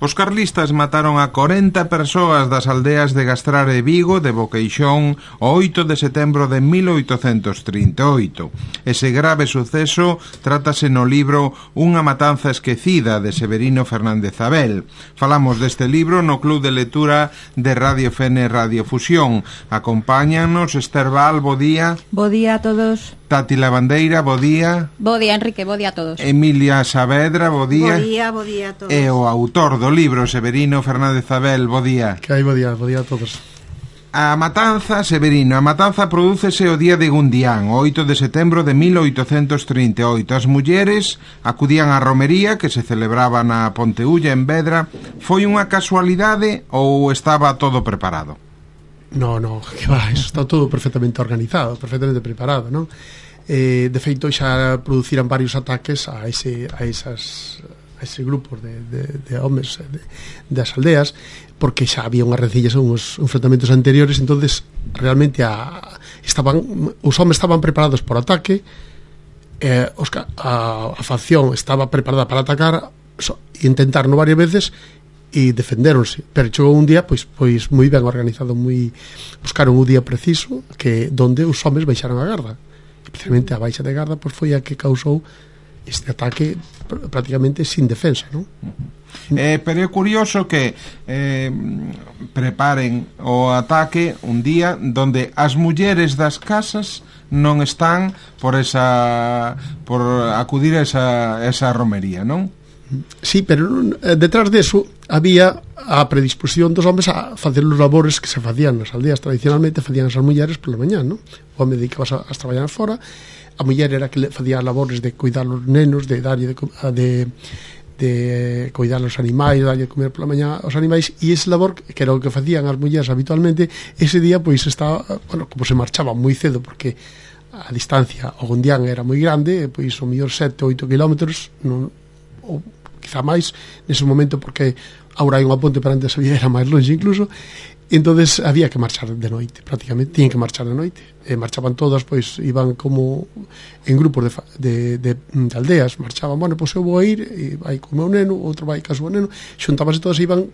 Os carlistas mataron a 40 persoas das aldeas de Gastrar e Vigo de Boqueixón o 8 de setembro de 1838. Ese grave suceso trátase no libro Unha matanza esquecida de Severino Fernández Abel. Falamos deste libro no Club de Lectura de Radio Fene Radio Fusión. Acompáñanos Esther Val, bo día. Bo día a todos. Tati Lavandeira, bo día. Bo día, Enrique, bo día a todos. Emilia Saavedra, bo día. Bo día a todos. E o autor do libro, Severino Fernández Abel, bo día. Que hai, bo día a todos. A matanza, Severino, a matanza prodúcese o día de Gundián, o 8 de setembro de 1838. As mulleres acudían á romería que se celebraba na Ponteulla en Vedra. Foi unha casualidade ou estaba todo preparado? No, que va, eso está todo perfectamente organizado, perfectamente preparado, non? De feito, xa produciran varios ataques a ese grupos de homes das aldeas, porque xa había unhas rencillas, uns enfrentamentos anteriores. Entonces realmente os homes estaban preparados por ataque, a facción estaba preparada para atacar, e intentaron varias veces e defendéronse, pero chegou un día pois moi ben organizado, buscaron un día preciso que donde os homes baixaron a garda, e precisamente a baixa de garda pois foi a que causou este ataque prácticamente sin defensa, non? Pero é curioso que preparen o ataque un día donde as mulleres das casas non están por acudir a esa romería, non? Sí, pero detrás deso había a predisposición dos homes a facer os labores que se facían nas aldeas. Tradicionalmente facían as mulleres pola mañá, non? O home dedicabas a traballar fora, a muller era que facía labores de cuidar os nenos, de darlle de cuidar os animais, darlle de comer pola mañá aos animais, e ese labor, que era o que facían as mulleres habitualmente, ese día pois estaba, como se marchaba moi cedo, porque a distancia ao Gundián era moi grande, pois o mellor 7 ou 8 kilómetros, ou quizá máis nese momento, porque agora hai unha ponte, pero antes era máis longe incluso. Entonces había que marchar de noite, prácticamente tiñen que marchar de noite, marchaban todas, pois iban como en grupos de aldeas, marchaban, pois eu vou a ir, e vai co meu neno, outro vai co seu neno, xuntábanse todas e iban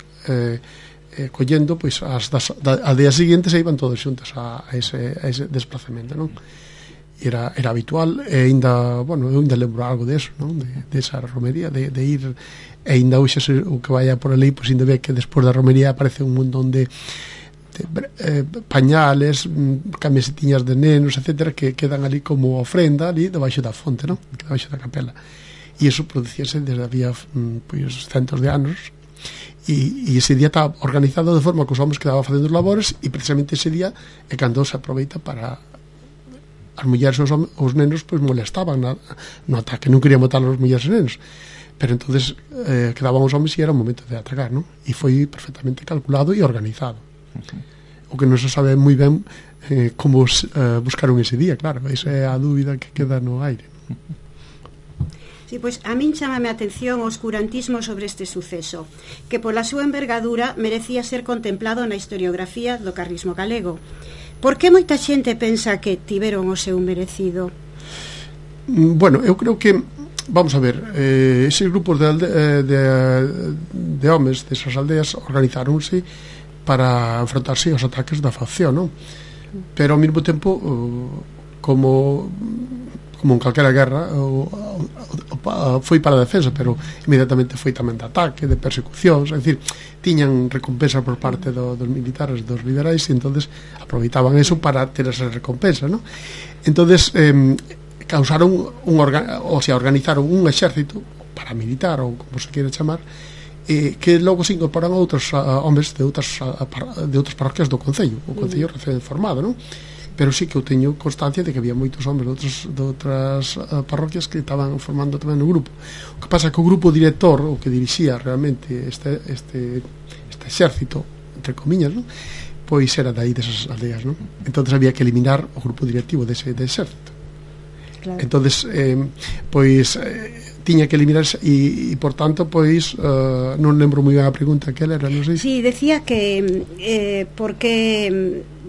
collendo, pois as aldeas seguintes, e iban todos xuntas a ese desplazamento, non? Era habitual, e ainda, eu ainda lembro algo deso, non? De esa romería, de ir, e ainda hoxe o que vaya por ali, pois ainda ve que despois da romería aparece un montón de pañales, camisetiñas de nenos, etcétera, que quedan ali como ofrenda ali debaixo da fonte, non? Debaixo da capela. E iso producíase desde había pois centos de anos, e ese día estaba organizado de forma que os homens quedaban facendo os labores, e precisamente ese día é cando se aproveita para as mulleres e os nenos pois molestaban no ataque, non querían matar os mulleres e nenos, pero entonces quedaban os homens e era o momento de atacar, non? E foi perfectamente calculado e organizado. O que non se sabe moi ben como buscaron ese día, claro, esa é a dúbida que queda no aire. Sí, pois a min chámame a atención o oscurantismo sobre este suceso, que pola súa envergadura merecía ser contemplado na historiografía do carlismo galego. Por que moita xente pensa que tiveron o seu merecido? Eu creo que, vamos a ver, eses grupos de homes desas aldeas organizáronse para enfrontarse aos ataques da facción, non? Pero ao mesmo tempo, como en calquera guerra, foi para a defensa, pero inmediatamente foi tamén de ataque, de persecucións, é dicir, tiñan recompensa por parte dos militares, dos liberais, e entonces aproveitaban eso para ter esa recompensa, non? Entonces organizaron un exército paramilitar, ou como se quere chamar, que logo se incorporan a outros homes de outras parroquias do Concello, o Concello recén formado, non? Pero sí que eu teño constancia de que había moitos homes de outras parroquias que estaban formando tamén o grupo. O que pasa é que o grupo director, o que dirixía realmente este exército, entre comillas, non? Pois era dai desas aldeas, non? Entonces había que eliminar o grupo directivo dese exército. Claro. Entonces tiña que eliminarse e por tanto non lembro moi ben a pregunta que era, non sei. Sí, decía que porque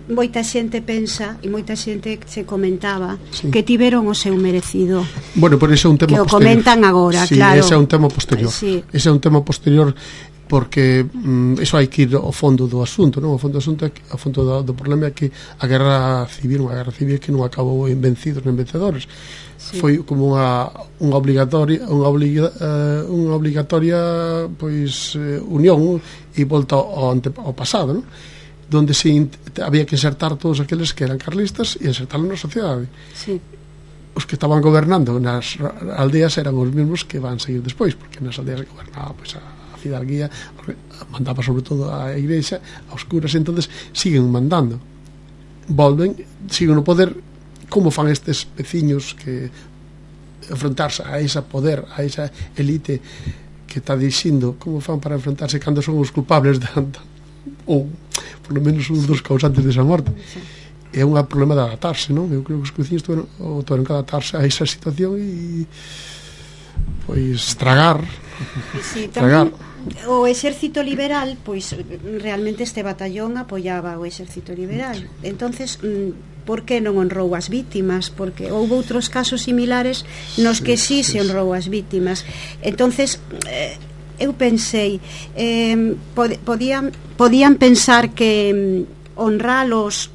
moita xente pensa e moita xente se comentaba que tiveron o seu merecido. Por ese é un tema que posterior. Que o comentan agora, sí, claro. Ese é un tema posterior. Sí. Ese é un tema posterior porque iso hai que ir ao fondo do asunto, non? Ao fondo do asunto, ao fondo do problema é que a guerra civil que non acabou en vencidos nem vencedores. Sí. Foi como unha obligatoria pois unión e volta ao pasado, non? Donde había que insertar todos aqueles que eran carlistas e insertarlos na sociedade. Sí. Os que estaban gobernando nas aldeas eran os mesmos que van seguir despois, porque nas aldeas gobernaba pois a fidalguía, mandaba sobre todo a igrexa, aos curas, entonces siguen mandando, volven, siguen no poder. Como fan estes veciños que enfrentarse a esa poder, a esa elite que está dicindo, como fan para enfrentarse cando son os culpables ou por lo menos un dos causantes desa morte? É un problema de adaptarse, non? Eu creo que os veciños tiveron que adaptarse a esa situación e pois tragar. Sí, tamén o exército liberal, pois realmente este batallón apoiaba o exército liberal. Entonces, por que non honrou as vítimas? Porque houve outros casos similares nos que sí se honrou as vítimas. Entonces, eu pensei, podían pensar que honralos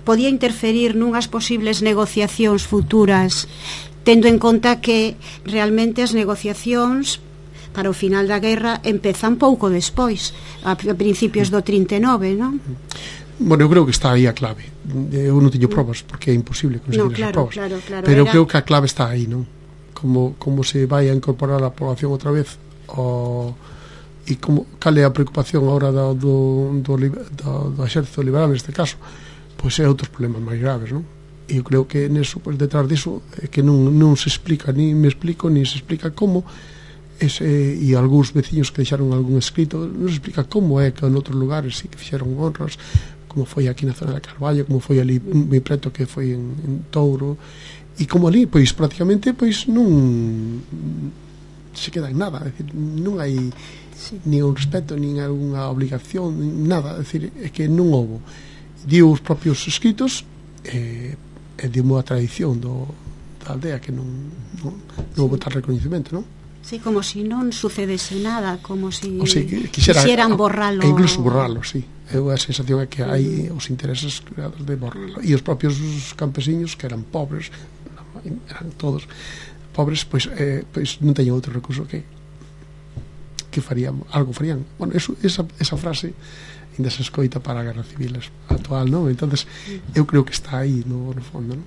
podía interferir nunhas posibles negociacións futuras, tendo en conta que realmente as negociacións para o final da guerra empezan pouco despois, a principios do 39, non? Bueno, eu creo que está aí a clave. Eu non teño probas, porque é imposible conseguir esas probas. Claro, pero eu creo que a clave está aí, non? Como se vai a incorporar a población outra vez, e cal é a preocupación agora do exército liberal neste caso, pois é outros problemas máis graves, non? E eu creo que neso, pois, detrás diso é que non se explica, ni me explico, ni se explica como e algúns veciños que deixaron algún escrito, non se explica como é que en outros lugares sí que fixeron honras, como foi aquí na zona de Carballo, como foi ali moi preto que foi en Touro, e como ali, pois, prácticamente, pois, non se queda en nada, é dicir, non hai nin un respeto, nin algunha obligación, nin nada, é dicir, é que non houbo. Dio os propios escritos e dio unha tradición da aldea que non houbo tal reconhecimento, non? Sí, como si non sucedese nada, como si quixeran borralo. E incluso borralo, sí. A sensación é que hai os intereses creados de borralo. E os propios campesiños, que eran pobres, eran todos pobres, pois non teñen outro recurso que farían, algo farían. Bueno, esa frase ainda se escoita para a guerra civil actual, non? Entonces, eu creo que está aí no fondo, non?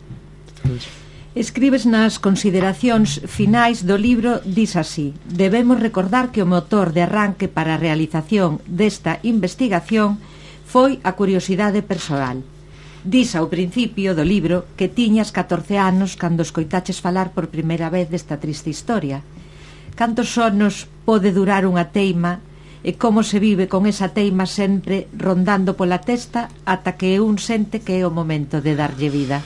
Entonces, escribes nas consideracións finais do libro, dis así: debemos recordar que o motor de arranque para a realización desta investigación foi a curiosidade persoal. Dis ao principio do libro que tiñas 14 anos cando escoitaches falar por primeira vez desta triste historia. Cantos sonos pode durar unha teima e como se vive con esa teima sempre rondando pola testa ata que un sente que é o momento de darlle vida?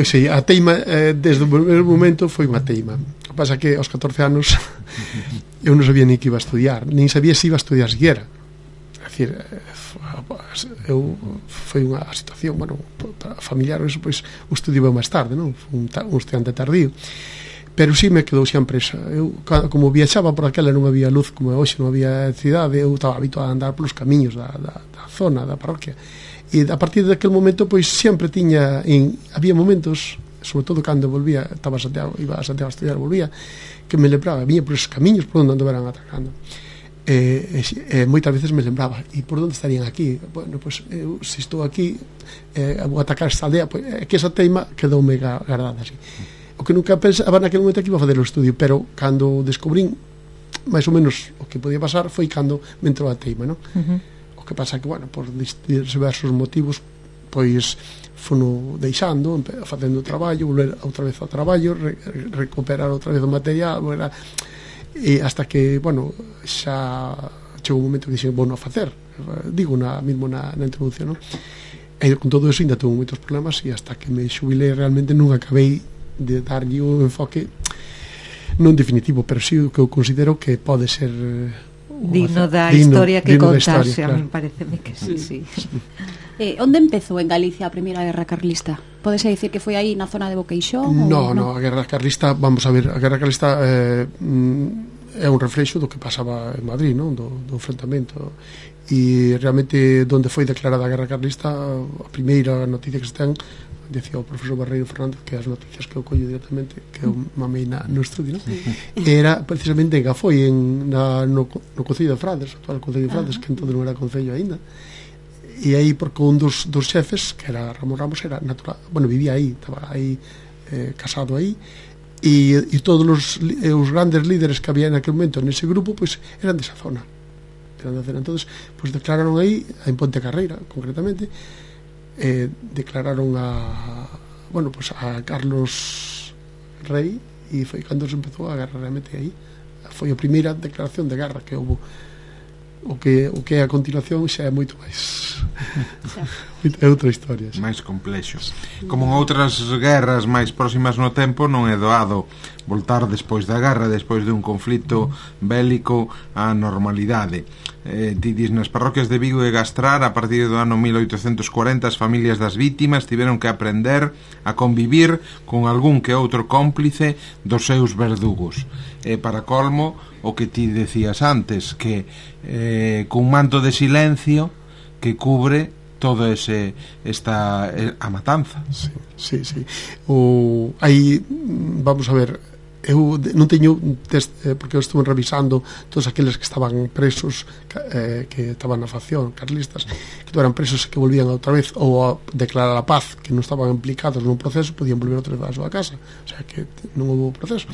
Sí, a teima desde o primeiro momento foi unha teima. O que pasa que aos 14 anos eu non sabía ni que iba a estudiar, nin sabía se iba a estudiar siquiera. É dicir, foi unha situación, bueno, familiar, eso, pois o estudio máis tarde, non? Foi un estudiante tardío, pero sí me quedou sempre esa. Eu, como viaxaba por aquela, non había luz como hoxe, non había cidade, eu estaba habituado a andar polos camiños da zona, da parroquia. E a partir daquele momento, pois sempre había momentos, sobre todo cando volvía, iba a Santiago a estudiar, volvía, que me lembraba, viña por esos camiños por onde andaban atacando. Moitas veces me lembraba, e por onde estarían aquí? Bueno, pois eu, se estou aquí, vou atacar esta aldea, pois, que esa teima quedoume guardada así. O que nunca pensaba naquele momento que iba a fazer o estudio, pero cando descubrín máis ou menos o que podía pasar foi cando me entrou a teima, non? O que pasa que, bueno, por diversos motivos, pois fono deixando, facendo o traballo, volver outra vez ao traballo, recuperar outra vez o material, e hasta que, bueno, xa chegou un momento que dixen, bueno, a facer, digo mesmo na introducción, non? E con todo eso ainda tuve moitos problemas, e hasta que me xubilei realmente non acabei de darlle un enfoque non definitivo, pero sí que eu considero que pode ser digno da historia que contase, claro. A mí pareceme que sí. Onde empezou en Galicia a Primeira Guerra Carlista? Podese dicir que foi aí na zona de Boqueixón? No, a Guerra Carlista, vamos a ver, a Guerra Carlista é un reflexo do que pasaba en Madrid, non? Do enfrentamento. E realmente onde foi declarada a guerra carlista, a primeira noticia que se ten, decía o profesor Barreiro Fernández, que as noticias que eu collo directamente, que eu mamei no estudio, ¿no? Era precisamente en Gafoi, no Concello de Frades, o actual Concello de Frades, que entón non era Concello aínda. E aí, porque un dos xefes, que era Ramón Ramos, era natural, bueno, vivía aí, estaba aí casado aí, e todos os grandes líderes que había en aquel momento nese grupo, pois eran desa zona. Entonces, pois declararon aí, en Ponte Carreira, concretamente, declararon a Carlos Rei, e foi cando se empezou a guerra realmente aí. Foi a primeira declaración de guerra que houve. O que é a continuación xa é moito máis é outra historia xa. Máis complexo. Como en outras guerras máis próximas no tempo, non é doado voltar despois da guerra, despois dun conflito bélico á normalidade. Didis, nas parroquias de Vigo e Gastrar, a partir do ano 1840, as familias das vítimas tiveron que aprender a convivir con algún que outro cómplice dos seus verdugos. Para colmo, o que ti decías antes, que cun manto de silencio que cubre todo a matanza. Sí. Aí, vamos a ver, eu non teño porque eu estuve revisando todos aqueles que estaban presos, que estaban na facción carlistas, que eran presos e que volvían outra vez ou a declarar a paz, que non estaban implicados nun proceso, podían volver outra vez á súa casa, o sea que non houve proceso.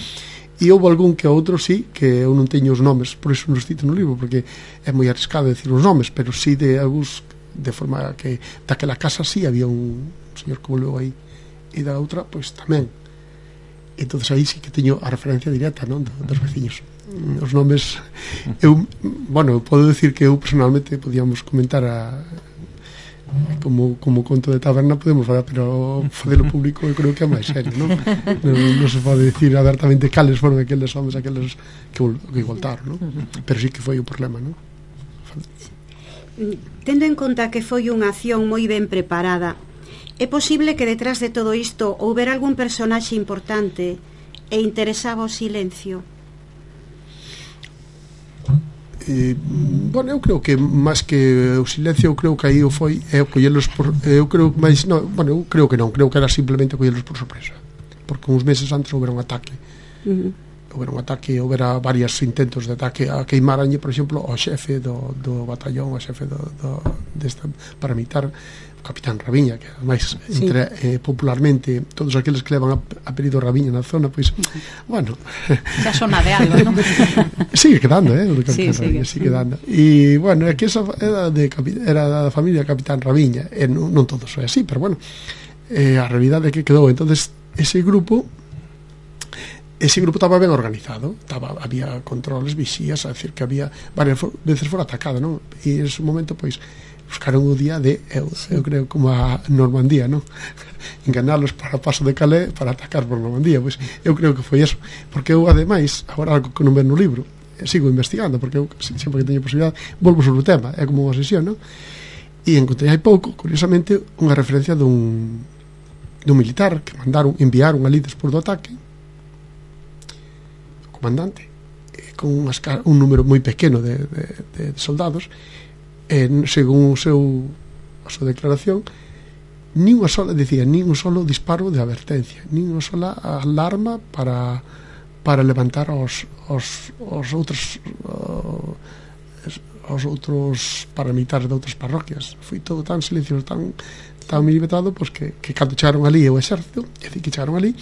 E houve algún que outro, sí, que eu non teño os nomes, por iso non os cito no libro, porque é moi arriscado decir os nomes, pero sí de algúns, de forma que daquela casa sí había un señor que volveu aí, e da outra, pois tamén. Entonces aí sí que teño a referencia directa, non, dos veciños. Os nomes, eu podo decir que eu personalmente podíamos comentar como conto de taberna podemos falar, pero facelo público eu creo que é máis serio, non? Non se pode decir abertamente cales foron aqueles homens, aqueles que voltaron, non? Pero sí que foi un problema, non? Tendo en conta que foi unha acción moi ben preparada, é posible que detrás de todo isto houbera algún personaxe importante e interesaba o silencio? Eu creo que máis que o silencio, eu creo que aí o foi collelos por, eu creo que non, creo que era simplemente collelos por sorpresa, porque uns meses antes houbera un ataque. Houbera varios intentos de ataque a queimaranye, por exemplo, ao xefe do batallón, ao xefe desta paramilitar, o capitán Raviña, que ademais popularmente todos aqueles que levan apelido Raviña na zona, pois, bueno, xa sona de algo, non? sigue quedando, o capitán Raviña, sigue quedando. E, bueno, aquí esa era da familia Capitán Raviña, non todos foi así, pero, bueno, a realidade que quedou. Entonces, ese grupo estaba ben organizado, había controles, vixías, a decir que había varias veces fora atacado, non? E en ese momento, pois, buscaron o día de eu creo como a Normandía, non? Enganalos para o paso de Calais para atacar por Normandía. Pois eu creo que foi eso, porque eu ademais, agora algo que non ven no libro, sigo investigando, porque eu sempre que teño posibilidade volvo sobre o tema, é como unha sesión, non? E encontrei hai pouco, curiosamente, unha referencia dun militar que enviaron ali despois do ataque, o comandante, con un número moi pequeno de soldados, según a súa declaración, nin un solo disparo de advertencia, nin unha sola alarma para levantar os outros paramilitares de outras parroquias. Foi todo tan silencioso, tan milimetrado, pois que cando chegaron ali o exército, é dicir, que chegaron ali,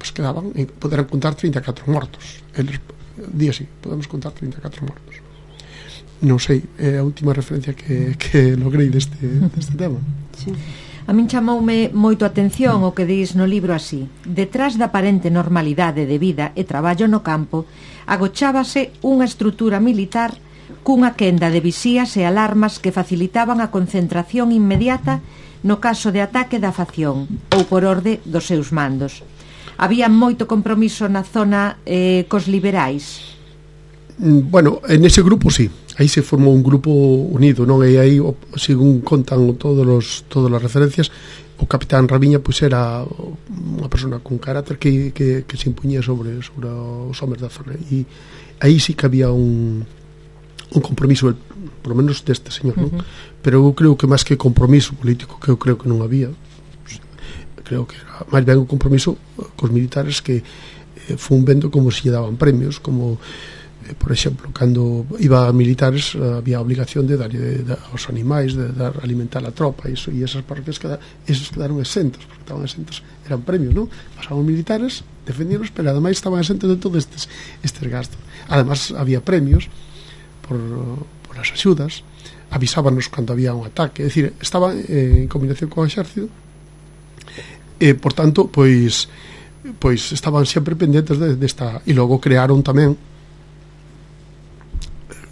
pois quedaban, poderan contar 34 mortos. Eles di así, podemos contar 34 mortos. Non sei, é a última referencia que logrei deste tema. Sí. A min chamoume moito a atención o que dis no libro así: detrás da aparente normalidade de vida e traballo no campo agochábase unha estrutura militar cunha quenda de visías e alarmas que facilitaban a concentración inmediata no caso de ataque da facción ou por orde dos seus mandos. Había moito compromiso na zona cos liberais? Bueno, en ese grupo sí, aí se formou un grupo unido, non? E aí, según contan todas as referencias, o capitán Raviña pois era unha persona con carácter que se impuñía sobre os homes da zona, e aí sí que había un compromiso, por lo menos deste señor, non? Pero eu creo que máis que compromiso político, que eu creo que non había, creo que era máis ben un compromiso cos militares, que fun vendo como se lle daban premios, como por exemplo, cando iba a militares había a obligación de darlle aos animais, de dar alimentar a tropa, e esas parroquias esos quedaron exentos, porque estaban exentos, eran premios, non? Pasaban militares, defendíanos, pero ademais estaban exentos de todos estes gastos. Ademais había premios por as axudas, avisábanos cando había un ataque, é dicir, estaban en combinación con o exército, e por tanto, pois estaban sempre pendentes desta, e logo crearon tamén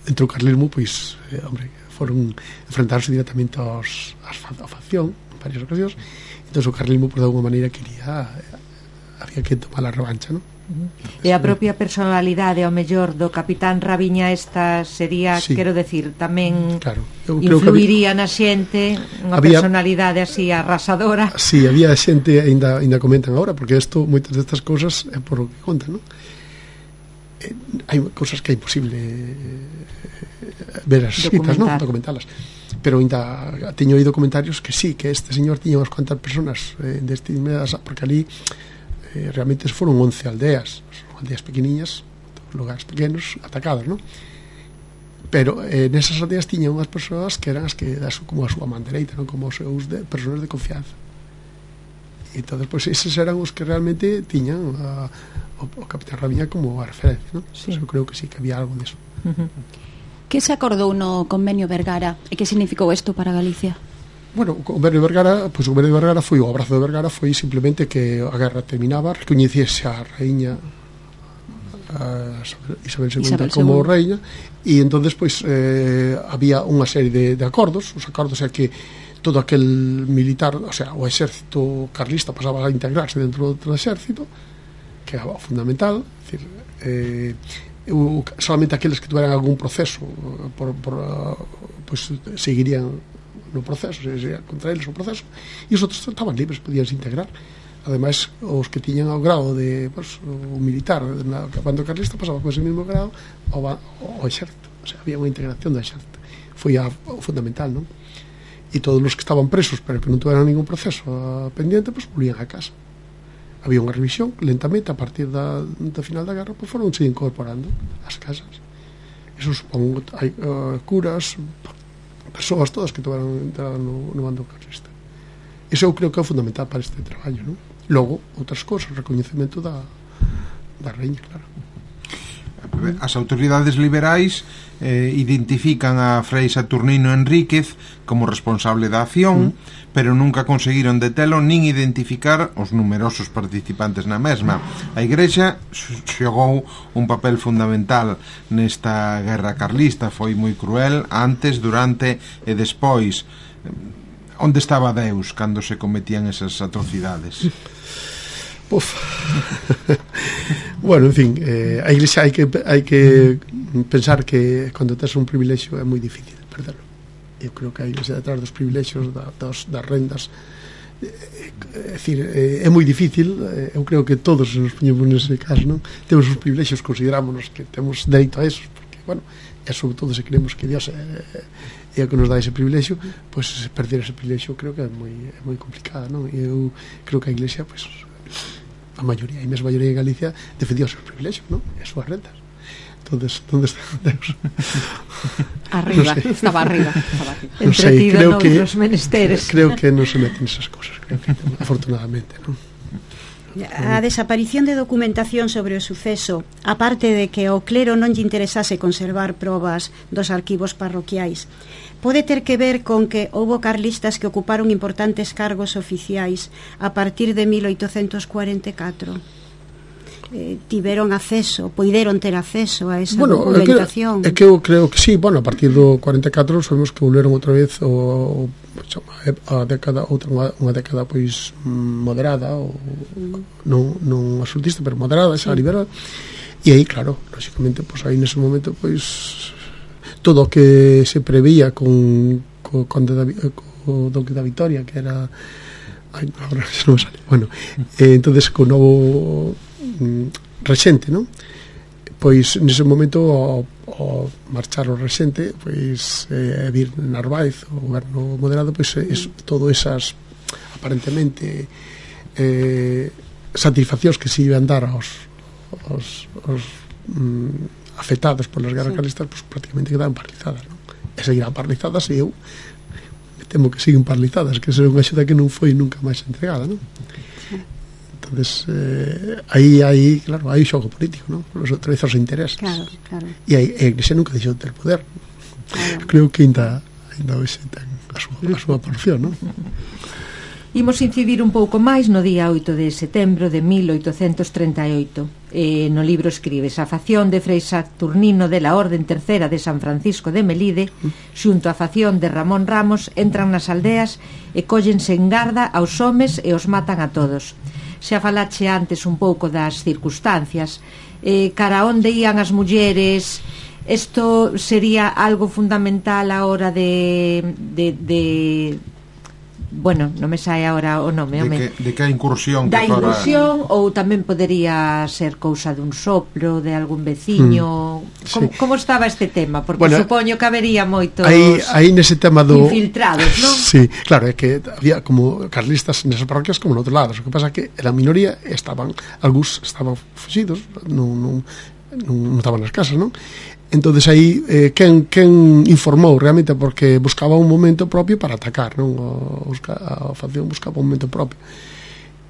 entre o carlismo, pois, hombre, foron enfrentarse directamente á facción en varias ocasións. Entón o carlismo, por de alguma maneira, había que tomar a revancha, non? E a propia personalidade, ao mellor, do capitán Raviña, esta sería, sí, quero decir, tamén, claro, influiría na xente, unha personalidade así arrasadora. Sí, había xente, ainda comentan agora, porque isto, moitas destas cousas é por o que contan, non? Hai cousas que é imposible ver as escritas, non? Documentalas. Pero ainda teño oído comentarios que sí, que este señor tiña unhas cuantas personas deste inmediato, porque ali realmente foron 11 aldeas pequeniñas, lugares pequenos, atacadas, non? Pero nesas aldeas tiñan unhas persoas que eran as que como a súa man dereita, non? Como os seus personas de confianza. E entón, pois, eses eran os que realmente tiñan o capitán Raviña como a referencia, non? Sí. Eu creo que sí, que había algo deso. Que se acordou no convenio Vergara e que significou isto para Galicia? Bueno, o convenio de Vergara, pois o convenio de Vergara foi, o abrazo de Vergara foi simplemente que a guerra terminaba, recoñeciese a raíña Isabel II como reina, e entonces pois había unha serie de acordos. Os acordos é que todo aquel militar, o sea, o exército carlista pasaba a integrarse dentro do exército, que é fundamental, é dicir, solamente aqueles que tuveran algún proceso pois seguirían no proceso, sería contra eles o proceso, e os outros estaban libres, podíanse integrar. Ademais, os que tiñan o grado de o militar na banda carlista pasaba con ese mesmo grado ao exército, o sea, había unha integración do exército, foi o fundamental, non? E todos os que estaban presos pero que non tuveran ningún proceso pendiente, pois volvían a casa. Había unha revisión, lentamente, a partir da final da guerra, pois foron se incorporando ás casas. Eso supón, hai curas, persoas todas que tuveran no bando carlista. Iso eu creo que é fundamental para este traballo, non? Logo, outras cousas, recoñecemento da reina, claro. As autoridades liberais identifican a Frei Saturnino Enríquez como responsable da acción, pero nunca conseguiron detelo nin identificar os numerosos participantes na mesma. A Igrexa xogou un papel fundamental nesta guerra carlista, foi moi cruel antes, durante e despois. Onde estaba Deus cando se cometían esas atrocidades? Bueno, en fin, a Iglesia hai que pensar que cando tes un privilexio é moi difícil perderlo. Eu creo que a Iglesia detrás dos privilexios das rendas, é dicir, é moi difícil. Eu creo que todos nos poñemos nese caso, non? Temos os privilexios, considerámonos que temos dereito a esos, porque, bueno, e sobre todo se creemos que Dios é o que nos dá ese privilexio, pois perder ese privilexio creo que é moi complicado, non? E eu creo que a Iglesia, pois, a maioría, e mesmo a maioría de Galicia defendía os seus privilexios, non? E as súas rentas. Entonces, onde está Deus? Arriba, no sé. Estaba arriba. Non sei, creo que non se meten esas cousas, creo que afortunadamente, non? A desaparición de documentación sobre o suceso, aparte de que ao clero non lle interesase conservar probas dos arquivos parroquiais, pode ter que ver con que houbo carlistas que ocuparon importantes cargos oficiais a partir de 1844. Tiveron acceso, poideron ter acceso a esa documentación. É que eu creo que sí, bueno, a partir do 44 sabemos que volveron outra vez a década, unha década pois moderada, ou non absolutista, pero moderada, esa liberal. E aí, claro, lógicamente, pois aí nese momento, pois todo o que se preveía con Duque da Vitoria, que era agora non me sale, bueno, entonces con novo rexente, non? pois nese momento ao marchar o rexente, pois vir Narváez, o goberno moderado, pois todo esas aparentemente satisfaccións que se iban dar aos afectados polas guerras carlistas, pois prácticamente quedaban paralizadas, non? E seguirán paralizadas, e eu temo que siguen paralizadas, que será unha axuda que non foi nunca máis entregada, non? Entonces, aí, claro, hai xogo político, non? Outra vez os intereses. Claro. E a Iglesia nunca deixou de ter poder. Claro. Creo que ainda hoxe ten a súa porción, non? Imos incidir un pouco máis no día 8 de setembro de 1838. No libro escribes: a facción de Frei Saturnino de la Orden Tercera de San Francisco de Melide xunto á facción de Ramón Ramos entran nas aldeas e cóllense en garda aos homes e os matan a todos. Xa falache antes un pouco das circunstancias, cara onde ían as mulleres. Isto sería algo fundamental a hora de bueno, non me sai agora o nome, de que a incursión da incursión, ou tamén podería ser cousa dun soplo de algún veciño. Como estaba este tema? Porque supoño que habería moitos aí nese tema do infiltrados, non? Sí, claro, é que había como carlistas nesas parroquias como noutros lados. O que pasa é que a minoría algúns estaban fuxidos, non estaban nas casas, non? Entonces aí quen informou realmente, porque buscaba un momento propio para atacar, non? A facción buscaba un momento propio,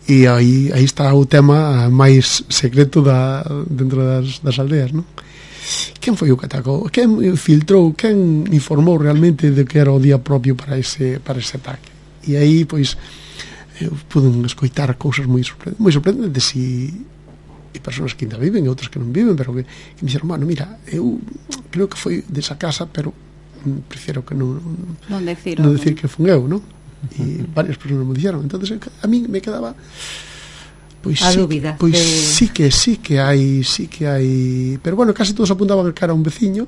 e aí está o tema máis secreto dentro das aldeas, non? Quen foi o que atacou? Quen filtrou? Quen informou realmente de que era o día propio para ese ataque? E aí, pois, poden escoitar cousas moi sorprendentes e persoas que ainda viven e outras que non viven, pero que me dixeron, mira, eu creo que foi desa casa, pero prefiro que non decir que fun eu, non? E varias persoas me dixeron. Entonces a mí me quedaba pois a dúbida. Pois sí que hai, pero bueno, casi todos apuntaban que era un veciño,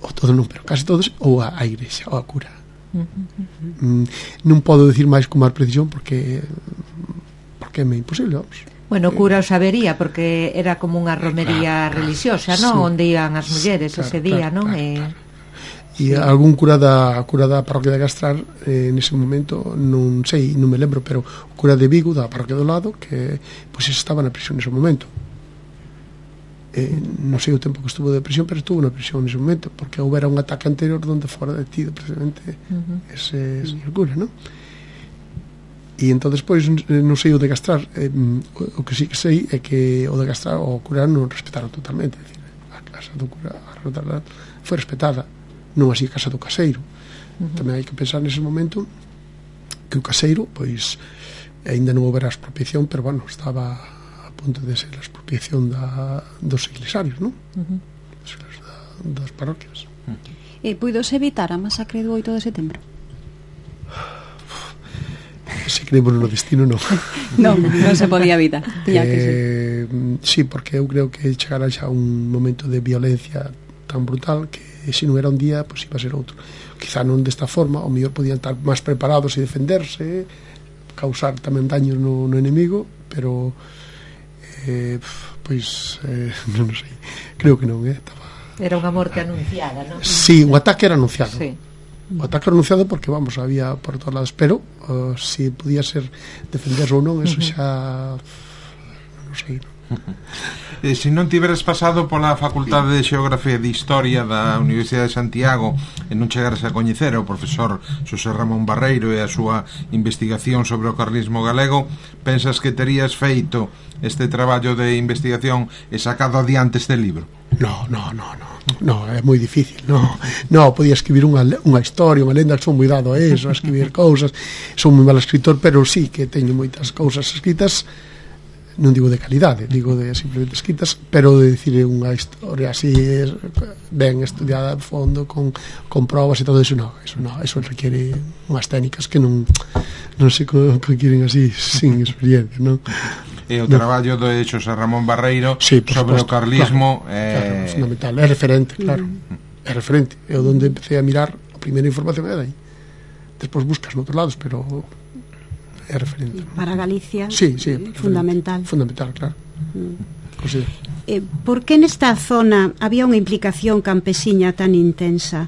ou todos non, pero casi todos, ou a igrexa, ou a cura. Non podo decir máis con máis precisión porque é imposible, vamos. Bueno, o cura o sabería, porque era como unha romería religiosa, non? Sí. Onde iban as mulleres ese día, non? Claro. E algún cura da parroquia de Gastrar, nese momento, non sei, non me lembro, pero o cura de Vigo, da parroquia do lado, que pois estaba na prisión nese momento. Non sei o tempo que estuvo de prisión, pero estuvo na prisión nese momento, porque houbera un ataque anterior onde fora detido precisamente ese señor cura, non? E entón despois non sei o de Gastrar, o que sí que sei é que o de Gastrar o cura non respetaron totalmente, é dicir, a casa do cura foi respetada, non así a casa do caseiro. Tamén hai que pensar nese momento que o caseiro, pois aínda non houbera expropiación, pero bueno, estaba a punto de ser a expropiación dos iglesarios, non? Das parroquias. Puidose evitar a masacre do 8 de setembro? Se creemos no destino, non. Non se podía evitar. Sí, porque eu creo que chegara xa un momento de violencia tan brutal que se non era un día, pois iba a ser outro. Quizá non desta forma, ao mellor podían estar máis preparados e defenderse, causar tamén daños no enemigo, pero pois non sei, creo que non, Era unha morte anunciada, non? Sí, o ataque era anunciado. Sí. O ataque anunciado porque, vamos, había por todos lados, pero se podía ser defenderse ou non, eso xa non sei. Se non tiveres pasado pola Facultade de Xeografía e de Historia da Universidade de Santiago e non chegares a coñecer o profesor Xosé Ramón Barreiro e a súa investigación sobre o carlismo galego, pensas que terías feito este traballo de investigación e sacado adiante este libro? No, é moi difícil. No, podía escribir unha historia, unha lenda, que son moi dado a eso, a escribir cousas, son moi mal escritor, pero sí que teño moitas cousas escritas, non digo de calidade, digo de simplemente escritas, pero de dicir unha historia así ben estudiada a fondo, con probas e todo eso, eso requiere unhas técnicas que non se conquieren así sin experiencia, non? E o traballo de Xosé Ramón Barreiro sobre o carlismo é fundamental, é referente, claro, é referente, é onde empecé a mirar a primeira información é dai, despois buscas noutros lados, pero é referente para Galicia, sí, fundamental, claro. Por que nesta zona había unha implicación campesiña tan intensa,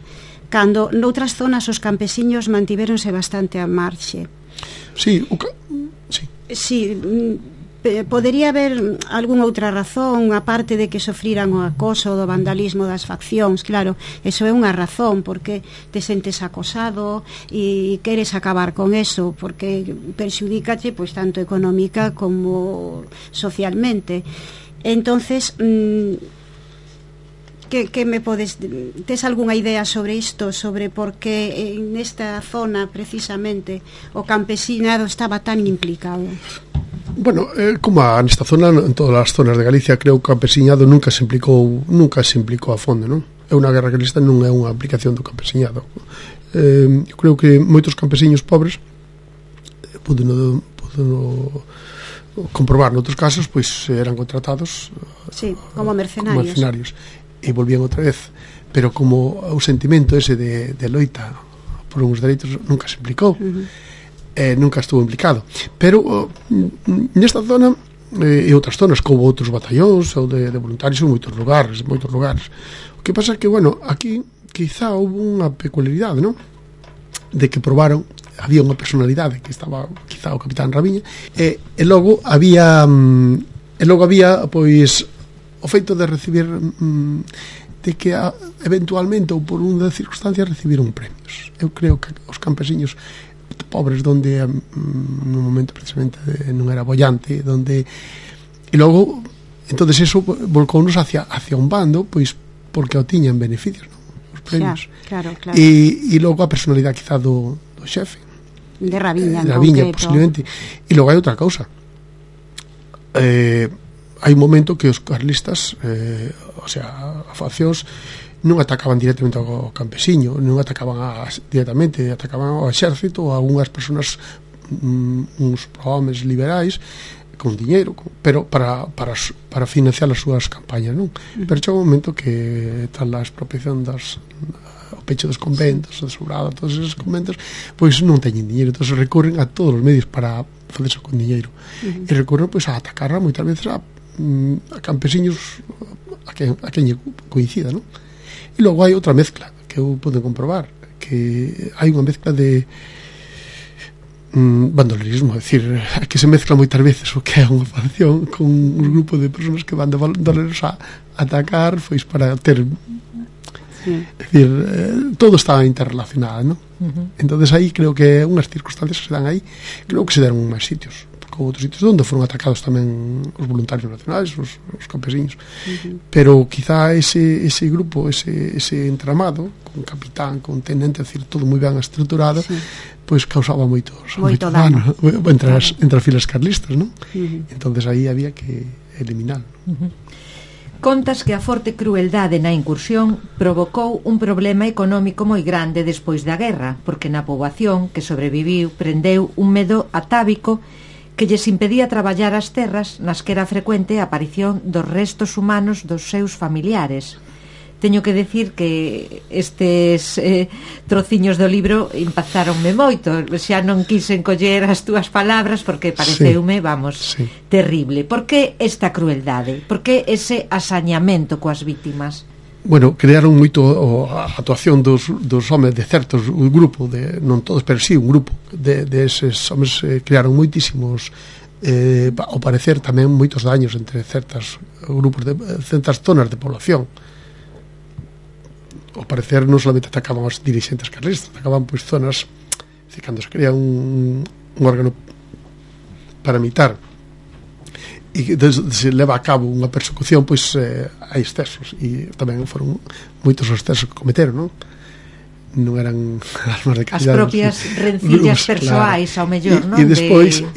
cando noutras zonas os campesiños mantiveronse bastante a marxe? Sí, podería haber algunha outra razón, aparte de que sofriran o acoso do vandalismo das faccións. Claro, eso é unha razón, porque te sentes acosado e queres acabar con eso, porque perxudícache pois tanto económica como socialmente. Entonces, que me podes... Tes algunha idea sobre isto, sobre por que nesta zona precisamente o campesinado estaba tan implicado? Bueno, como nesta zona, en todas as zonas de Galicia, creo que o campesiñado nunca se implicou a fondo, non? É unha guerra carlista, non é unha aplicación do campesiñado. Creo que moitos campesiños pobres puderon comprobar noutros casos, pois eran contratados como mercenarios e volvían outra vez, pero como o sentimento ese de loita por uns dereitos nunca se implicou, nunca estuvo implicado. Pero nesta zona e outras zonas, como outros batallóns ou de voluntarios en moitos lugares. O que pasa é que, bueno, aquí quizá houve unha peculiaridade, non? De que probaron, había unha personalidade que estaba quizá o capitán Raviña, e logo había pois o feito de recibir de que eventualmente ou por unha circunstancia recibiron premios. Eu creo que os campesiños pobres, donde no momento precisamente non era bollante, donde e logo entonces eso volcounos hacia un bando, pois porque o tiñan beneficios, non? Os premios. Claro. E logo a personalidade quizá do xefe de Raviña, posiblemente. E logo hai outra cousa, hai un momento que os carlistas, a faccións non atacaban directamente ao campesiño, non atacaban directamente, atacaban ao exército, a unhas persoas, uns homes liberais con diñeiro, pero para financiar as súas campañas, non? Pero chega un momento que tal a expropiación o pecho dos conventos, a desobrada, todos esos conventos, pois non teñen diñeiro, entón recorren a todos os medios para facerse con diñeiro, e recorren pois a atacar moitas veces a campesiños a quen coincida, non? E logo hai outra mezcla que eu podo comprobar, que hai unha mezcla de bandolerismo, é dicir, que se mezcla moitas veces o que é unha facción con un grupo de persoas que van de bandoleros a atacar, pois para ter é dicir, todo está interrelacionado, non? Entonces aí creo que unhas circunstancias que se dan aí, creo que se deron máis sitios, outros sitios onde foron atacados tamén os voluntarios nacionais, os campesiños, pero quizá ese grupo, ese entramado, con capitán, con tenente, é dicir, todo moi ben estruturado, pois causaba moito dano entre as filas carlistas, non? Entonces aí había que eliminar. Contas que a forte crueldade na incursión provocou un problema económico moi grande despois da guerra, porque na poboación que sobreviviu prendeu un medo atávico que lles impedía traballar as terras nas que era frecuente a aparición dos restos humanos dos seus familiares. Teño que decir que estes trociños do libro impactaronme moito, xa non quisen coller as túas palabras porque pareceume, terrible. Por que esta crueldade? Por que ese asañamento coas vítimas? Bueno, crearon moito a actuación dos homes de certos, un grupo non todos, pero sí, un grupo de eses homes crearon moitísimos, ao parecer tamén moitos daños entre certas grupos de certas zonas de población. Ao parecer non solamente atacaban os dirigentes carlistas, atacaban pois zonas, cando se crea un órgano paramilitar e se leva a cabo unha persecución, pois hai excesos, e tamén foron moitos os excesos que cometeron, non eran armas de calidad, as propias rencillas persoais, ao mellor, non? E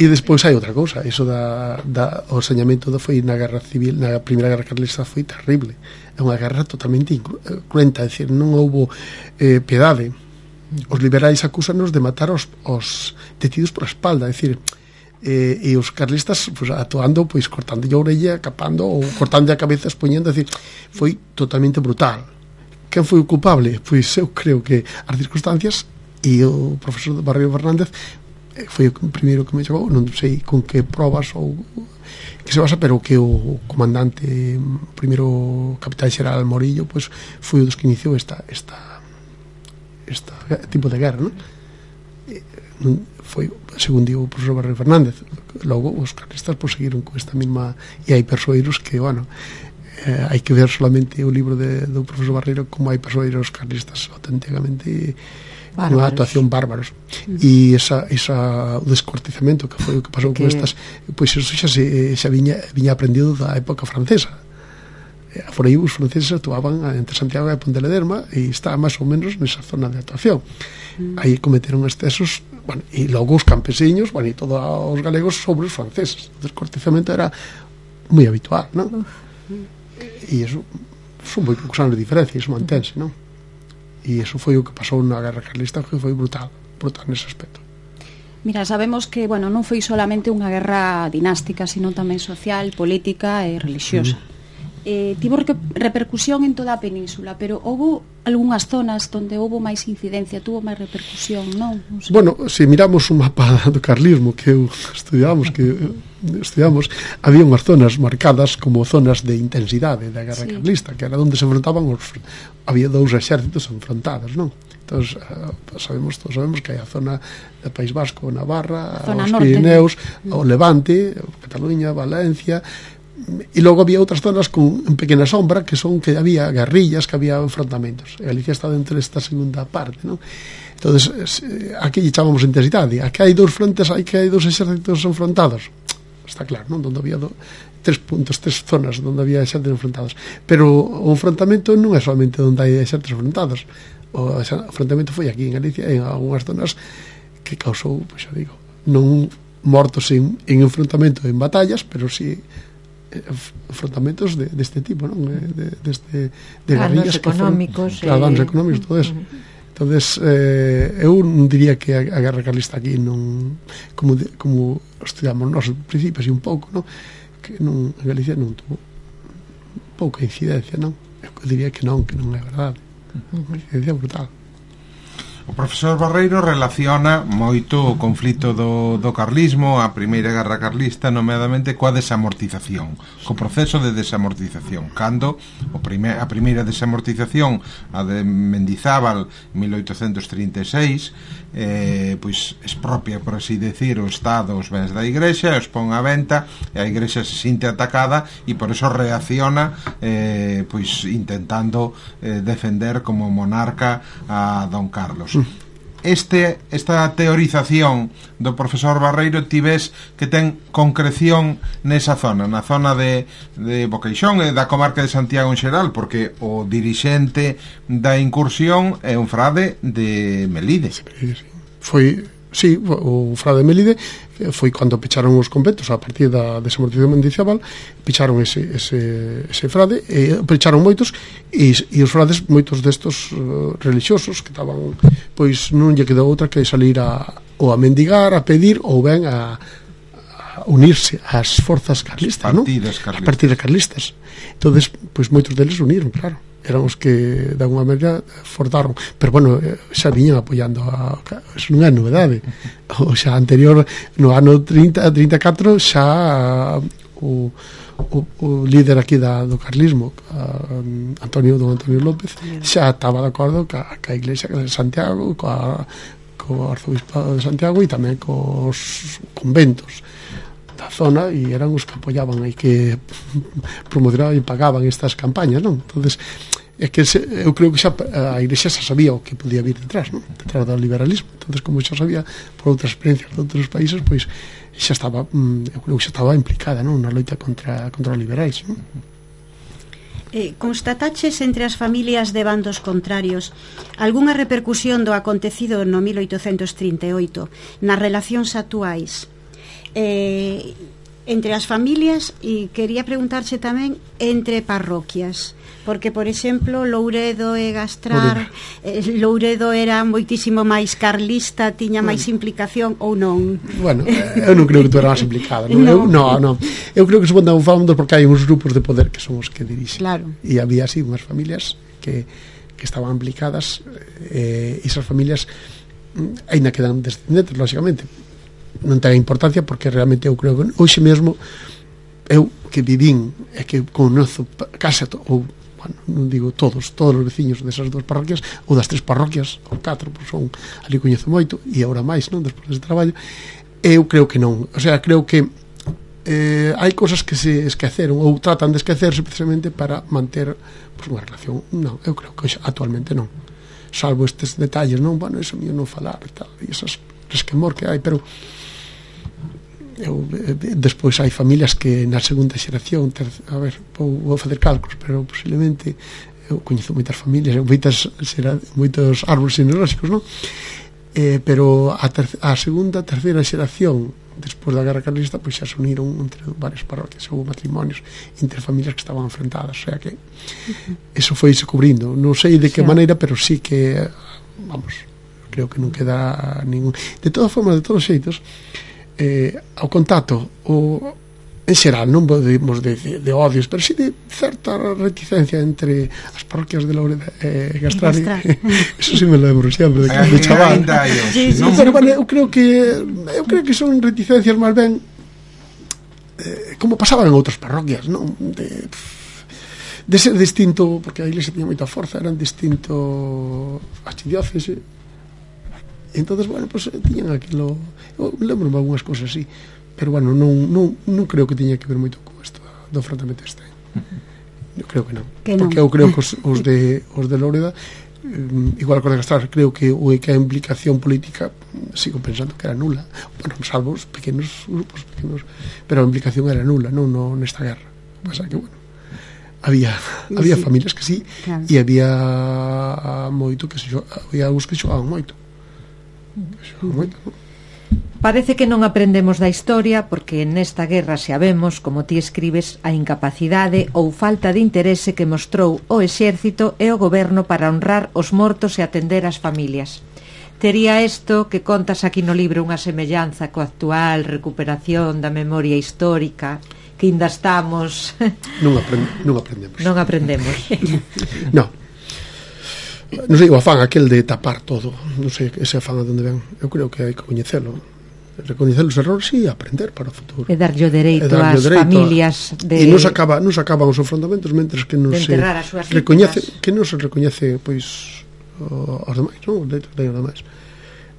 despois hai outra cousa, iso o sañamento foi na guerra civil, na primeira guerra carlista, foi terrible, é unha guerra totalmente cruenta, é dicir, non houbo piedade. Os liberais acúsanos de matar os detidos por a espalda, é dicir, e os carlistas actuando, pois cortando a orella, capando ou cortando a cabeza, expoñendo, é dicir, foi totalmente brutal. Quen foi o culpable? Pois eu creo que as circunstancias, e o profesor Barrio Fernández foi o primeiro que me chegou, non sei con que probas ou que se basa, pero que o comandante, o primeiro capitán xeral Morillo, pois foi o dos que iniciou esta tipo de guerra, non? Foi, según digo o profesor Barreiro Fernández. Logo os carlistas pois seguiron con esta mesma, e hai persoeiros que, bueno, hai que ver solamente o libro do profesor Barreiro como hai persoeiros carlistas auténticamente unha actuación bárbaros. E o descortizamento que foi o que pasou con estas, pois eso xa viña aprendido da época francesa. Por aí os franceses actuaban entre Santiago e Ponte Lederma e está máis ou menos nesa zona de actuación. Aí cometeron excesos, bueno, e logo os campesiños, bueno, e todos os galegos sobre os franceses. O descortizamento era moi habitual, non? E iso son moi poucos anos de diferencia, iso mantense, non? E iso foi o que pasou na Guerra Carlista, que foi brutal nese aspecto. Mira, sabemos que, bueno, non foi solamente unha guerra dinástica, sino tamén social, política e religiosa. Tivo repercusión en toda a península, pero houve algunhas zonas onde houve máis incidencia, tuvo máis repercusión, non? O sea, bueno, se miramos un mapa do carlismo que estudiamos, había unhas zonas marcadas como zonas de intensidade da guerra carlista, que era onde se enfrontaban había dous exércitos enfrontados, non? Entón, todos sabemos que hai a zona do País Vasco, Navarra, os Pirineus, o Levante, Cataluña, Valencia. E logo había outras zonas en pequena sombra que son que había guerrillas, que había enfrontamentos. E Galicia está dentro desta segunda parte, non? Entonces, aquí lle chamamos intensidade. Aquí hai dous frontes, hai dous exércitos enfrontados. Está claro, non? Donde había tres zonas onde había exércitos enfrontados. Pero o enfrontamento non é solamente onde hai exércitos enfrontados. O enfrontamento foi aquí en Galicia, en algunhas zonas que causou, pois xa digo, non mortos en enfrontamento en batallas, pero si enfrontamentos deste tipo, non? De guerrillas económicos, danos económicos, todo eso. Entonces, eu non diría que a guerra carlista aquí non, como estudiamos nos principios e un pouco, non? Que en Galicia non tuvo pouca incidencia, non? Eu diría que non é verdade. Unha incidencia brutal. O profesor Barreiro relaciona moito o conflito do carlismo, a primeira guerra carlista, nomeadamente coa desamortización, co proceso de desamortización, cando a primeira desamortización, a de Mendizábal, 1836, pois expropia, por así decir, o Estado os bens da Igrexa, os pon a venta, e a Igrexa se sinte atacada e por eso reacciona, pois intentando defender como monarca a Don Carlos. Esta teorización do profesor Barreiro ves que ten concreción nesa zona, na zona de Boqueixón e da comarca de Santiago en xeral, porque o dirixente da incursión é un frade de Melide. Sí, o frade de Melide foi cando pecharon os conventos a partir da desamortización de Mendizábal, pecharon ese frade, pecharon moitos e os frades, moitos destos religiosos que estaban, pois non lle quedou outra que salir ou a mendigar, a pedir ou ben a unirse ás forzas carlistas, non? As partidas carlistas. Entonces, pois moitos deles uniron, claro. Eran os que de alguma maneira forzaron, pero bueno, xa viñan apoiando eso non é novedade. O xa anterior, no ano 34 xa o líder aquí do carlismo, don Antonio López, xa estaba de acordo ca Iglesia de Santiago, co arzobispado de Santiago e tamén cos conventos da zona, e eran os que apoiaban e que promocionaban e pagaban estas campañas, non? Entonces, é que eu creo que xa a Igrexa xa sabía o que podía vir detrás, non? Detrás do liberalismo. Entonces, como xa sabía por outras experiencias de outros países, pois xa estaba, eu creo que xa estaba implicada, non? Na loita contra os liberais, non? Constataches entre as familias de bandos contrarios algunha repercusión do acontecido no 1838 nas relacións actuais entre as familias, e quería preguntarche tamén entre parroquias, porque, por exemplo, Louredo e Gastrar, Louredo era moitísimo máis carlista, tiña máis implicación ou non? Bueno, eu non creo que tu era máis implicada, non? Non. Eu creo que se van falando porque hai uns grupos de poder que son os que dirixen. Claro. E había así unhas familias que estaban implicadas, e esas familias aínda quedan descendentes, lógicamente, non ten importancia, porque realmente eu creo que hoxe mesmo eu que vivín e que conozo case ou, bueno, non digo todos os veciños desas dúas parroquias ou das 3 parroquias ou 4, pois son ali coñezo moito e agora máis, non, despois deste traballo. Eu creo que non, o sea, creo que hai cousas que se esqueceron ou tratan de esquecerse precisamente para manter pues, unha relación. Non, eu creo que actualmente non, salvo estes detalles, non, bueno, eso mío non falar e tal, e esas resquemor que hai, pero despois hai familias que na segunda xeración a ver, vou facer cálculos, pero posiblemente eu coñezo moitas familias moitos árbores genealóxicos, non? Pero a segunda, terceira xeración despois da guerra carlista, pois xa se uniron entre varias parroquias, houve matrimonios entre familias que estaban enfrentadas, o sea que eso foi se cubrindo, non sei de que maneira, pero sí que vamos, creo que non queda ningún. De todas formas, de todos os xeitos, ao contacto en xeral, non podemos de odios, pero sí de certa reticencia entre as parroquias de Loureda e Gastrari. Eso sí me lo lembro sempre de chaval. Pero bueno, eu creo que son reticencias máis ben como pasaban en outras parroquias, non? De ser distinto, porque a iglesia tiña moita forza, eran distinto archidiócese. Entonces, bueno, pues tiñan aquilo, eu lembro-me algunhas cosas así, pero bueno, non creo que tiña que ver moito con isto do enfrentamento este. Eu creo que non, porque eu creo que os de Loureda, igual que os de Gastrar, creo que a implicación política sigo pensando que era nula, bueno, salvo os pequenos grupos pequenos, pero a implicación era nula, non nesta guerra. Pasa que, bueno, había familias que sí, claro. E había moito que había algúns que xogaban moito. Parece que non aprendemos da historia porque nesta guerra xa vemos, como ti escribes, a incapacidade ou falta de interese que mostrou o exército e o goberno para honrar os mortos e atender as familias. Tería isto que contas aquí no libro unha semellanza co actual recuperación da memoria histórica que ainda estamos... Non aprendemos. Non aprendemos. Non sei, o afán aquel de tapar todo, non sei ese afán a donde ven. Eu creo que hai que coñecelo, recoñecer os errores e aprender para o futuro. E darlle o dereito ás familias de... E non se acaban os enfrontamentos mentres que non se recoñece, que non se recoñece pois aos demais, non? Os dereitos dos demais.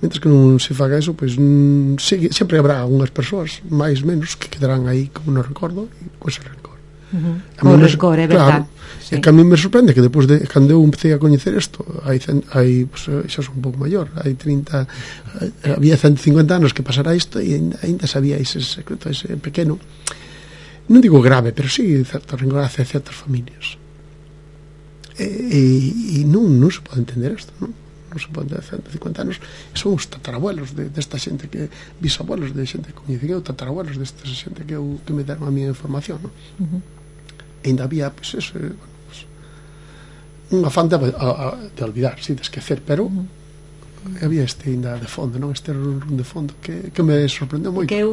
Mentres que non se faga eso, pois sempre habrá unhas persoas máis menos que quedarán aí como no recordo e con ese rencor. O rencor, é verdad. É que a mí me sorprende que depois de cando eu empecé a coñecer isto, hai pues, xa son un pouco maior, había 150 anos que pasara isto e ainda sabía ese secreto, ese pequeno, non digo grave, pero sí certa rencor hacia certas familias. E non se pode entender isto, non se pode entender. 150 anos son os tatarabuelos desta xente, que bisabuelos de xente que coñecen eu, tatarabuelos desta xente que me deron a miña información, non? Ainda había pues, eso, un afán de olvidar, sí, de esquecer, pero había ainda de fondo, non? Este de fondo que me sorprendeu moito. Que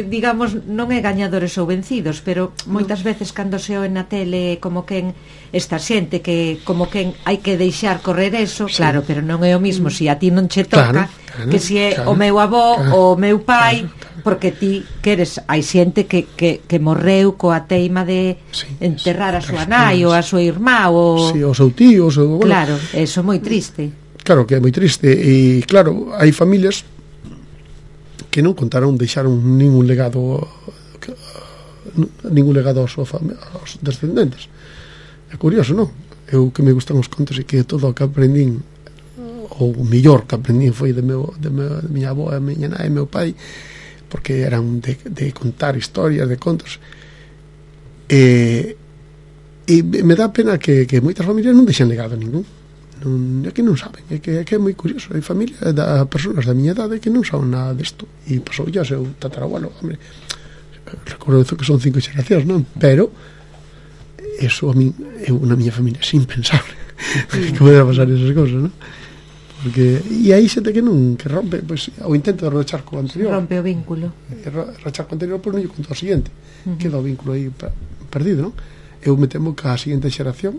digamos, non é gañadores ou vencidos, pero moitas veces cando se oe na tele como quen esta xente que como quen hai que deixar correr eso, sí. Claro, pero non é o mismo se a ti non che toca, claro, que se é o meu avó ou o meu pai, porque ti queres, hai xente que morreu coa teima de enterrar a súa nai ou a súa irmá ou o seu tío, bueno, claro, eso é moi triste. Claro que é moi triste e claro, hai familias que non deixaron ningún legado aos descendentes. É curioso, non? Eu que me gustan os contos e que todo o que aprendín, ou o mellor que aprendín foi de miña avó, a miña nai e meu pai, porque eran de contar historias, de contos, e me dá pena que moitas familias non deixen legado ningún. É que non saben, é que é moi curioso. Hai familias de persoas da miña idade que non saben nada desto, e pasou ya o seu tatarabuelo, hombre, recordo que son 5 xeracións, non? Pero eso a mí, na miña familia é impensable que podera pasar esas cosas, non? Porque e aí xente que rompe, pois, o intento de rachar co anterior, rompe o vínculo, rachar co anterior, pois non lle conto o seguinte, queda o vínculo aí perdido, non? Eu me temo que a seguinte xeración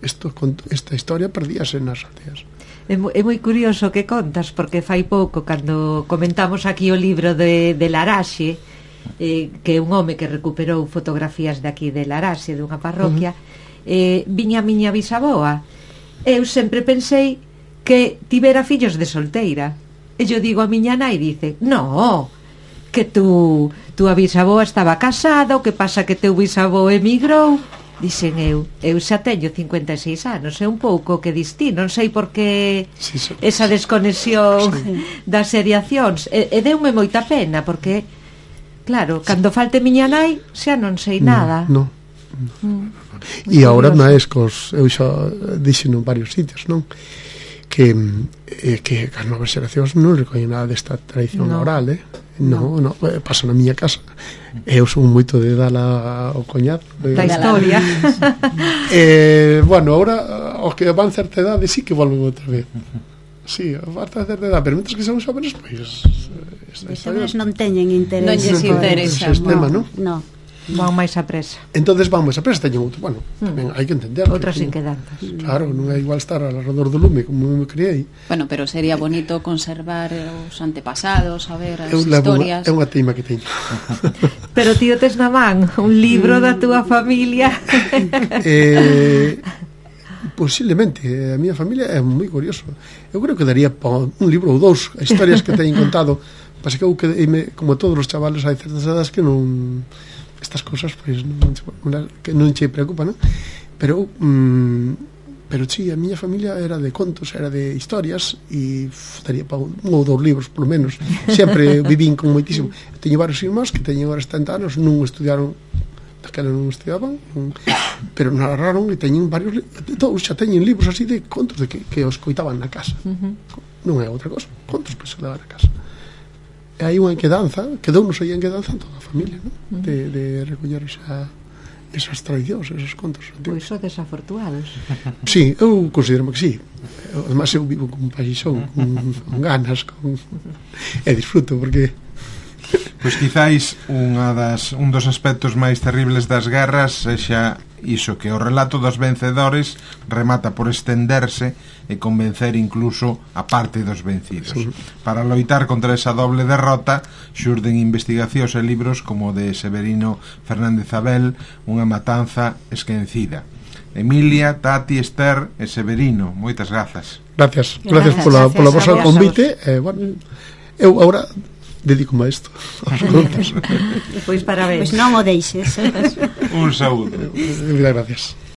esta historia perdíase nas aldeas. É moi curioso que contas, porque fai pouco, cando comentamos aquí o libro de Laraxe, que é un home que recuperou fotografías de aquí de Laraxe, dunha parroquia, viña a miña bisaboa. Eu sempre pensei que tivera fillos de solteira. E eu digo a miña nai, dice, no, que tú a bisaboa estaba casada, o que pasa que teu bisavó emigrou. Dixen eu xa teño 56 anos, é un pouco que distí, non sei por que esa desconexión das seriacións, e deume moita pena, porque claro, cando falte miña nai xa non sei nada. E agora máis cos, eu xa dixen en varios sitios, non? Que as novas xeracións non recoñen nada desta tradición oral, non, pasa na miña casa. Eu son moito de dar ao coñado da historia. Bueno, agora os que van certa idade sí que volven outra vez. Sí, falta certa idade, pero mentres que son xóvenes, pois xóvenes non teñen interés. Non lles interesa. Non. Van máis a presa. Entonces van máis a presa, teñen outro, bueno, tamén hai que entender. Outras inquedanzas. Claro, non é igual estar alrededor do lume como me criei. Bueno, pero sería bonito conservar os antepasados, saber as historias. É unha teima que teño. Pero tío, tes na man un libro da túa familia. Posiblemente, a miña familia é moi curioso. Eu creo que daría un libro ou dous historias que teñen contado. Pasa que eu como todos os chavales hai certas edades que non, estas cosas pois que non che preocupan, non? Pero sí, a miña familia era de contos, era de historias, e daría para un ou dous libros polo menos. Sempre vivín con moitísimo. Teño varios irmáns que teñen agora 70 anos, non estudiaron, daquela non estudiaban, pero narraron e teñen varios, todos xa teñen libros así de contos de que os coitaban na casa. Non é outra cosa, contos que se daban na casa. E hai unha enquedanza, quedounos aí enquedanza en toda a familia, non? De recoller esas tradicións, esos contos. Pois son desafortuados. Sí, eu considero que sí. Además eu vivo con paixón, con ganas, e disfruto, porque pois quizáis un dos aspectos máis terribles das guerras sexa iso, que o relato dos vencedores remata por estenderse e convencer incluso a parte dos vencidos. Para loitar contra esa doble derrota xurden investigacións e libros como o de Severino Fernández Abel, Unha matanza esquecida. Emilia, Tati, Esther e Severino, moitas grazas. Gracias pola vosa convite. Bueno, eu agora dedico-me a isto. Pois parabéns. Pois non o deixes. Un saúdo. Gracias.